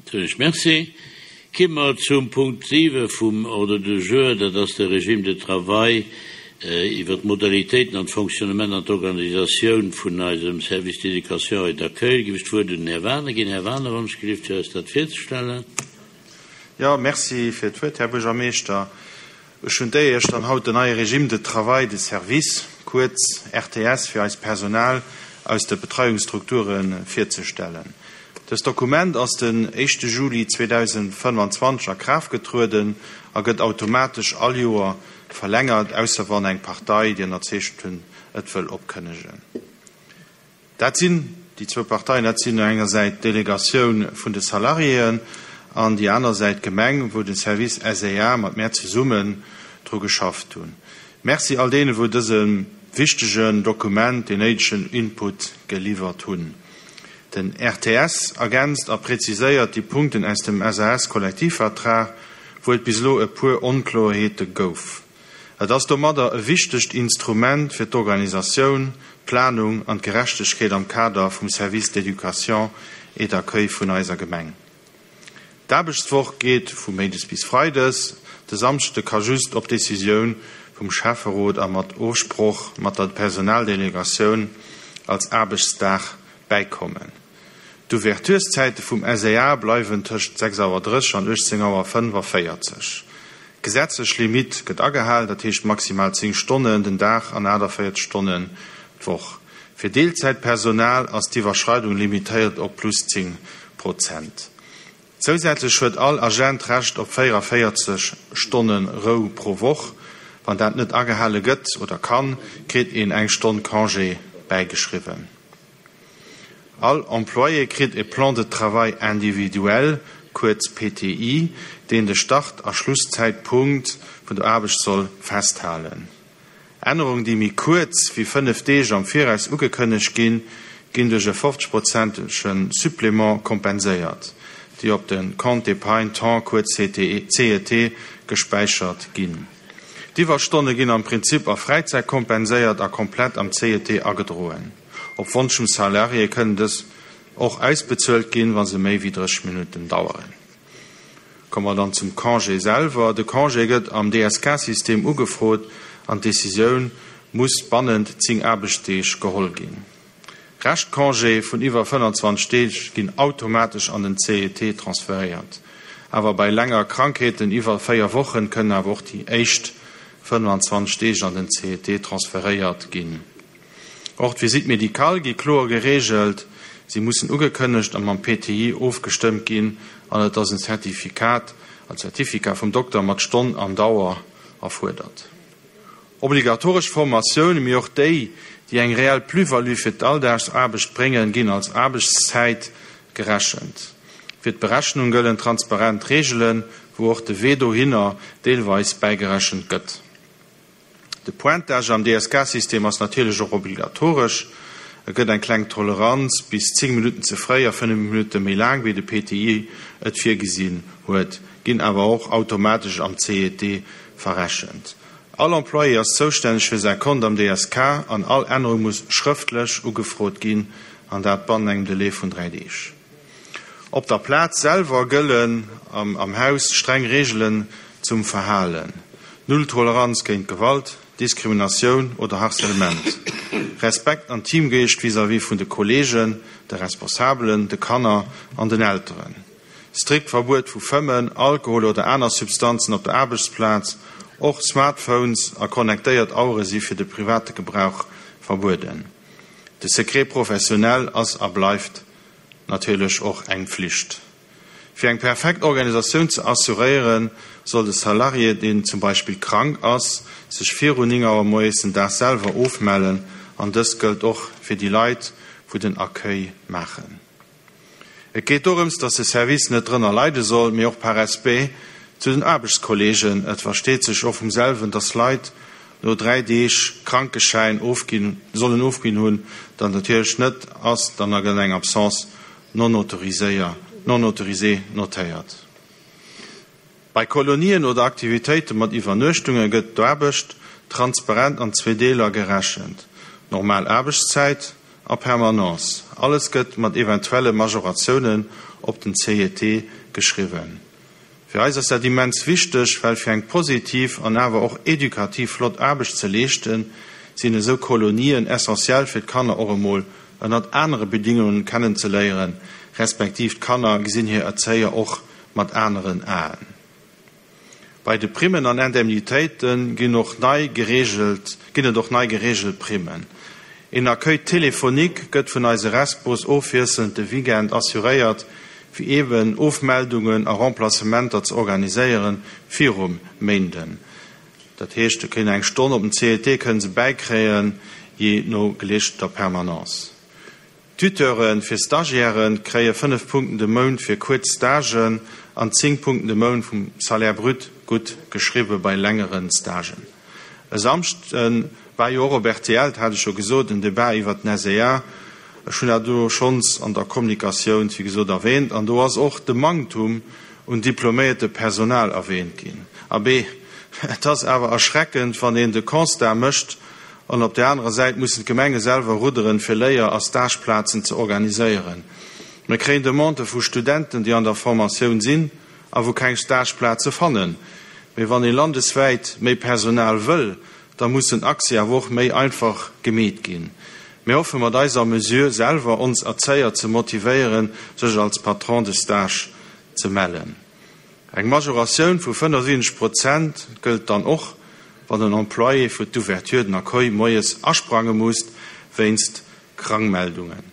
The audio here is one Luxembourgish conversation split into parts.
Soen ech Merci. Ki mer zum Punkt 7 vum Ordre du jour, dat ass de Régime de travail iwwert d'Modalitéiten an d'Fonctionnement an d'Organisatioun vun eisem Service d'éducation et d'accueil. Giff ech d'Wuert un den Här Wagener ginn. Här Wagener, wann ech gelift, fir eis dat virzestellen. Jo, merci fir d'Wuert, Här Buergermeeschter. Ech hunn d'Éier, Iech dann haut den neie Régime de travail de service, kuerz RTS, fir eist Personal aus de Betreiungsstrukture virzestellen. Dëst Dokument ass den éischte Juli 2025 a Kraaft getrueden a gëtt automatesch all Joer verlängert, ausser wann eng Partei, déi ënnerzeechent hunn, et wëll opkënnegen. Dat sinn déi zwou Parteien, dat sinn no enger Säit d'Delegatioun vun de Salariéen an déi aner Säit d'Gemeng, wou de Service SEA mat mär zesummen dru geschafft hunn. Merci all deene wou dësem wichtegen Dokument deen néidegen Input geliwwert hunn. Den RTS ergänzt a präziséiert déi Punkten aus dem SAS-Kollektivvertrag, wou et bis elo e puer Onkloerheete gouf. Et ass domadder e wichtegt Instrument fir d'Organisatioun, d'Planung an d'Gerechtegkeet am Kader vum Service d'éducation et d'accueil vun eiser Gemeng. D'Aarbechtswoch geet vu méindes bis freides, de Samschde ka just op Decisioun vum Schäfferot a mat Ofsproch mat der Personaldelegatioun als Aarbechtsdag bäikommen. D'Ouvertureszäite vum SEA bleiwen tëscht 6 Auer 30 an 18 Auer 45. D'gesetzlech Limitt gëtt agehalen, dat heescht maximal 10 Stonnen den Dag an 48 Stonnen d'Woch. Fir Deelzäitpersonal ass d'Iwwerschreidung limitéiert op plus 10 Prozent. Zousätzlech huet all Agent Recht op 44 Stonne Rou pro Woch. Wann dat net agehale gëtt oder kann, kritt een eng Stonn Congé bäigeschriwwen. All Employé kritt e Plan de travail individuel, kuerz PTI, deen de Start a Schlusszäitpunkt vun der Aarbecht soll festhalen. Ännerungen, déi méi kuerz wéi 5 Deeg am Viraus ugekënnegt ginn, ginn duerch e 50 prozentege Supplément kompenséiert, déi op de Compte d'épargne temps, kuerz CET, gespäichert ginn. D'Iwwerstonne ginn am Prinzip a Fräizäit kompenséiert a komplett am CET agedroen. Op Wonsch vum Salarié kënnen dës och ausbezuelt ginn, wa se méi wéi 30 Minutten daueren. Komme mer dann zum Congé selwer. De Congé gëtt am DSK-System ugefrot an d'Decisioun muss bannent 10 Aarbechtsdeeg geholl ginn. Reschtcongé vun iwwer 25 Deeg ginn automatesch an den CET transferéiert. Awer bei länger Krankheeten iwwer 4 Wochen kënnen awer och déi éischt 25 Deeg an den CET transferéiert ginn. Och d'Visite médicale gi kloer gereegelt, si mussen ugekënnegt a mam PTI ofgestëmmt ginn an et ass en Certificat, en Certificat vum Dokter mat Stonn an Dauer erfuerdert. Obligatoresch Formatioune, mee och déi, déi eng reell Plus-value fir d'Alldagsaarbecht bréngen, ginn als Aarbechtszäit gerechent. Fir d'Berechnung gëllen transparent Reegelen, wou och de Wee dohinner deelweis bäigerechent gëtt. De Pointage am DSK-System ass natierlech och obligatoresch. Et gëtt eng kleng Toleranz, bis 10 Minutten ze fréi a 5 Minutte méi laang wéi de PTI et virgesinn huet, ginn awer och automatesch am CET verrechent. All Employé ass zoustänneg fir säi Kont am DSK an all Ännerung muss schrëftlech ugefrot ginn, an dat bannen engem Delai vun 3 Deeg. Op der Plaz selwer gëllen am Haus streng Reegelen zum Verhalen, Null Toleranz géint Gewalt, Diskriminatioun oder Harcèlement, Respekt an Teamgeescht vis-à-vis vun de Kolleegen, de Responsabelen, de Kanner an den Elteren, strikt Verbuet vu Fëmmen, Alkohol oder aner Substanzen op der Aarbechtsplaz, och Smartphones a connectéiert Auere si fir de private Gebrauch verbueden. De Secret professionnel ass a bleift natierlech och eng Pflicht. Fir eng perfekt Organisatioun ze assuréieren, soll de Salarié, deen zum Beispill krank ass, sech viru 9 Auer moies den Dag selwer ofmellen an dëst gëllt och fir déi Leit, wou den Accueil maachen. Et geet dorëms, dass de Service net drënner leide soll, mee och par Respect zu den Aarbechtskollegen. Et versteet sech och vum selwen, dass Leit no 3 Deeg Krankeschäin ofginn, sollen ofginn hunn, dat natierlech net ass, dann a gëtt eng Absence non autoriséier, non autorisée notéiert. Bei Kolonien oder Aktivitéite mat Iwwernuechtunge gëtt d'Aarbecht transparent an zwee Deeler gerechent, normal Aarbechtszäit a Permanence. Alles gëtt mat eventuelle Majoratiounen op den CET. geschriwwen. Fir eis ass dat immens wichteg, well fir eng positiv an awer och edukativ flott Aarbecht ze leeschten, sinn esou Kolonien essentiell fir d'Kanner och emol ënnert anere Bedingungen kennenzeléieren, respektiv d'Kanner gesinn hir Erzéier och mat aneren Aen. Bei de Primmen an Indemnitéite ginn och nei gereegelt ginn et och nei gereegelt Primmen. Een Accueil téléphonique gëtt vun eise Respos ofwiesselnd de Weekend assuréiert, fir eeben Ofmeldungen a Remplacementer ze organiséieren virum Méinden. Dat heescht, se kréien eng Stonn op den CET kënnen se bäikréien, jee no geleeschteter Permanence. Tuteure fir Stagiaire kréie 5 Punkten de Mount fir kuerz Stagen an 10 Punkten de Mount vum Salaire brut gutt geschriwwe bei längere Stagen. E Samschde war jo och op rtl, dat hat ech jo gesot, en Debat iwwert den SEA. Ech hunn dat elo schonns an der Kommunikatioun, wéi gesot, erwähnt. An do ass och de Manktum un diploméierte Personal erwähnt ginn. Abee, et ass awer erschreckend, wann een de Constat mécht, An op där anerer Säit mussen d'Gemenge selwer rudderen, fir Léier a Stageplazen ze organiséieren. Mir kréien Demandë vu Studenten, déi an der Formatioun sinn a wou keng Stageplaze fannen. Mee wann ee landeswäit méi Personal wëll, da muss den Accès awer och méi einfach gemeet ginn. Mir hoffe mat eiser Mesure selwer ons Erzéier ze motivéieren, sech als Patron de stage ze mellen. Eng Majoratioun vu 75 Prozent gëllt dann och, wann en Employé fir d'Ouverture den Accueil moies asprange musst wéinst Krankmeldungen.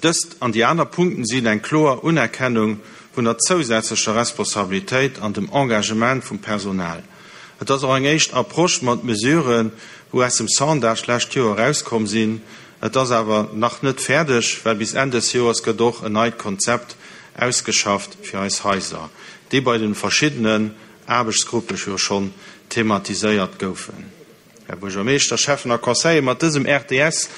Dëst an déi aner Punkten sinn eng kloer Unerkennung vun der zousätzlecher Responsabilitéit an dem Engagement vum Personal. Et ass och eng éischt Approche mat Mesuren, wou aus dem Sondage d'lescht Joer erauskomm sinn. Et ass awer nach net fäerdeg, well bis Enn des Joers gëtt och en neit Konzept ausgeschafft fir eis Haiser, déi bei den verschiddenen Aarbechtsgruppe jo schonn thematiséiert goufen. Här Buergermeeschter, Schäffen a Conseiller, mat dësem RTS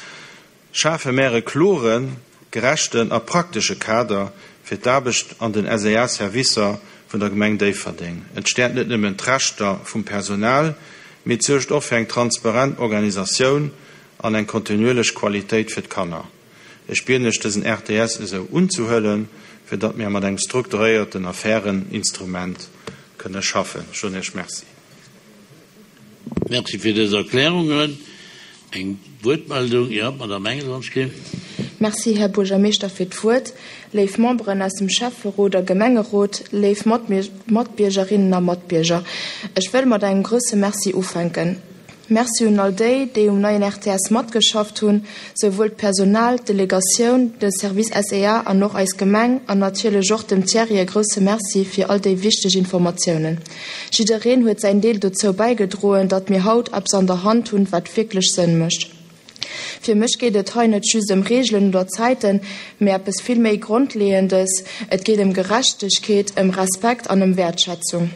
schafe mär e kloren, gerechten a praktesche Kader fir d'Aarbecht an den SEA-Servicer vun der Gemeng Déifferdeng. Et stäerkt net nëmmen d'Rechter vum Personal, mee et suergt och fir eng transparent Organisatioun an eng kontinuierlech Qualitéit fir d'Kanner. Ech bieden lech, dësen RTS esou unzehuelen, fir datt mir mat engem strukturéierten a fairen Instrument kënne schaffen. Ech soen Iech Merci. Merci fir dës Erklärungen. Eng Wuertmeldung? Jo, d'Madame Engel, wann ech ginn. Merci, Här Buergermeeschter, fir d'Wuert. Léif Memberen aus dem Schäfferot a Gemengerot, léif Matbiergerinnen a Matbierger, ech wëll mat engem grousse Merci ufänken. Merci un all déi, déi um neien RTS matgeschafft hunn, souwuel d'Personal, d'Delegatioun, de Service SEA an och eis Gemeng an natierlech och dem Thierry e grousse Merci fir all déi wichteg Informatiounen. Jiddereen huet säin Deel dozou bäigedroen, datt mir haut eppes an der Hand hunn, wat wierklech Sënn mécht. Fir mech geet et hei net just ëm Reegelen oder Zäiten, mee eppes vill méi Grondleeëndes, Et geet ëm Gerechtegkeet, ëm Respekt an ëm Wäertschätzung.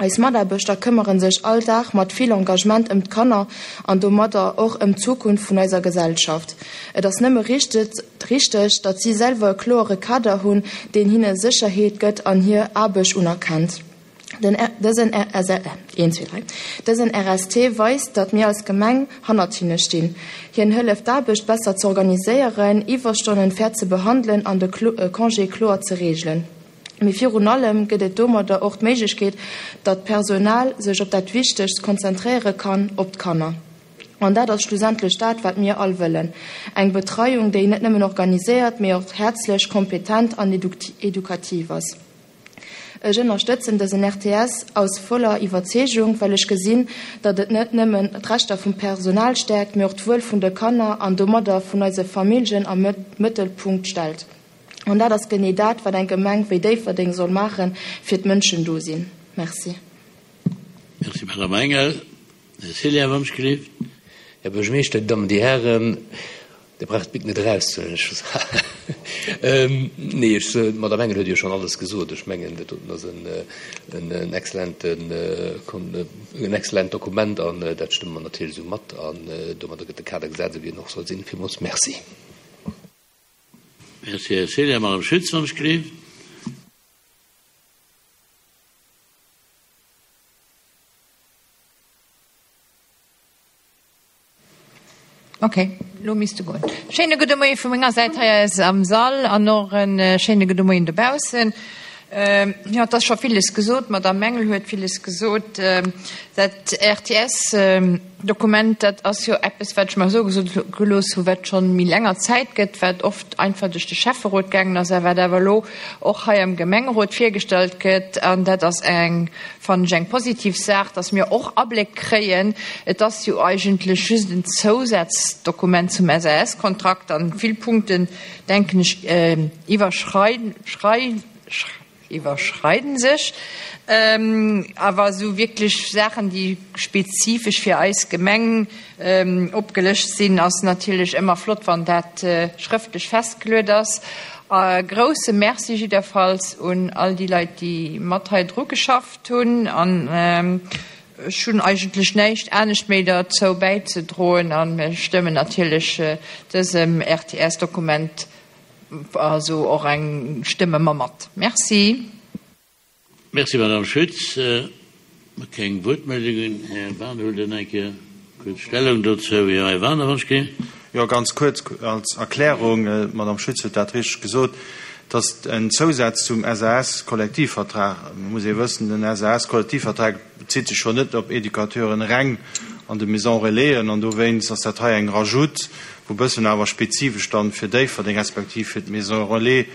Eis Mataarbechter këmmere sech all Dag mat vill Engagement ëm d'Kanner an domadder och ëm d'Zukunft vun eiser Gesellschaft. Et ass nëmme richteg, datt si selwer e kloere Kader hunn, deen hinne Sécherheet gëtt an hir Aarbecht unerkennt. Dësen RST weist, datt mir als Gemeng hannert hinne stinn. Hien hëlleft d'Aarbecht besser z'organiséieren, Iwwerstonnen fair ze behandelen an de Congé kloer ze reegelen. Mee virun allem gëtt et domadder och d'Méiglechkeet, datt d'Personal sech op dat Wichtegst konzentréiere kann, op d'Kanner. An dat ass schlussendlech dat, wat mir all wëllen, eng Betreiung, déi net nëmmen organiséiert, mee och häerzlech, kompetent an edukativ ass. Ech ënnerstëtzen dësen RTS aus voller Iwwerzeegung, well ech gesinn, datt et net nëmmen d'Rechter vum Personal stäerkt, mee och d'Wuel vun de Kanner an domadder vun eise Familljen am Mëttelpunkt stellt. An dat ass genee dat, wat eng Gemeng wéi Déifferdeng soll maachen, fir d'Mënschen do sinn. Merci. Merci, Madame Engel. Här Cillien, wann ech gelift. Här Buergermeeschter, Dir Dammen, Dir Hären, Dir braucht d'Bic net erauszehuelen, ech, nee, ech, d'Madame Engel huet jo schonn alles gesot. Ech mengen, dat doten ass en exzellenten, en exzellent Dokument an dat stëmme mer natierlech esou mat an domadder gëtt de Kader gesat, esou wéi en och soll sinn. Villmools Merci. Merci, Här Cillien. Madame Schütz, wann ech gelift. Ok, lo misst e goen. Schéine gudde Moie vu menger Säit hei aus am Sall an och e schéine gudde Moien dobaussen. Jo, et ass scho villes gesot. D'Madame Mengel huet villes gesot. Dat RTS-Dokument, dat ass jo eppes, wat ech mer soe gelooss hu, wat schonn méi länger Zäit gëtt, wat oft einfach duerch de Schäfferot gaangen ass a wat awer elo och hei am Gemengerot virgestallt gëtt. An dat ass eng, fannen ech, eng positiv Saach, dass mir och Abléck kréien. Et ass jo eigentlech just en Zousazdokument zum SAS-Kontrakt an vill Punkten, denken ech, iwwerschreiden sech awer esou wierklech Saachen, déi spezifesch fir eis Gemeng opgelëscht sinn, ass natierlech ëmmer flott, wann dat schrëftlech festgeluet ass. E grousse Merci jiddwerfalls un all déi Leit, déi mat hei dru geschafft hunn. An ech hunn eigentlech näischt anescht méi derzou bäizedroen a mir stëmmen natierlech dësem RTS-Dokument Also och eng stëmme mer mat. Merci. Merci, Madame Schütz. Keng Wuertmeldungen. Här Wagener huet eng Kéier kuerz Stellung dozou. Jo, Här Wagener, wann ech ginn. Jo, ganz kuerz als Erklärung. D'Madame Schütz huet dat richteg gesot, dass en Zousaz zum SAS-Kollektivvertrag, et muss ee wëssen, den SAS-Kollektivvertrag bezitt sech jo net op Educateuren reng an de Maisons Relaisen, an dowéinst ass dat hei eng Rajoute, wou bëssen awer spezifesch dann fir Déifferdeng respektiv fir d'Maison Relais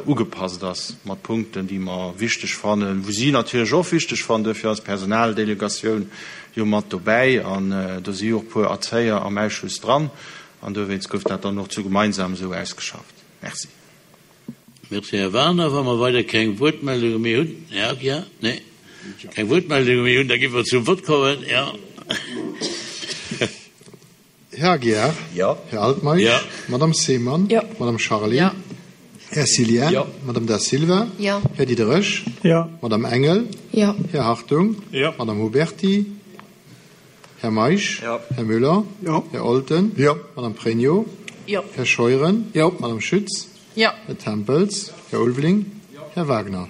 ugepasst ass, mat Punkten, déi mer wichteg fannen, wou si natierlech och wichteg fannen. Duerfir ass d'Personaldelegatioun jo mat dobäi an do si jo och puer Erzéier am Ausschuss dran an dowéinst gouf dat dann och zu gemeinsam esou ausgeschafft. Merci. Merci, Här Wagener. Wa mer weider keng Wuertmeldunge méi hunn, Här Aguiar? Nee, keng Wuertmeldunge méi hunn, da gi mer zum Vott kommen. Jo. Här Aguiar? Jo. Här Altmeisch? Jo. Madame Seemann? Jo. Madame Charlé? Jo. Här Cillien? Jo. Madame Da Silva? Jo. Här Diderich? Jo. Madame Engel? Jo. Här Hartung? Jo. Madame Huberty? Här Meisch? Jo. Här Müller? Jo. Här Olten? Jo. Madame Pregno? Jo. Här Scheuren? Jo. Madame Schütz? Jo. Här Tempels? Här Ulveling? Jo. Här Wagner?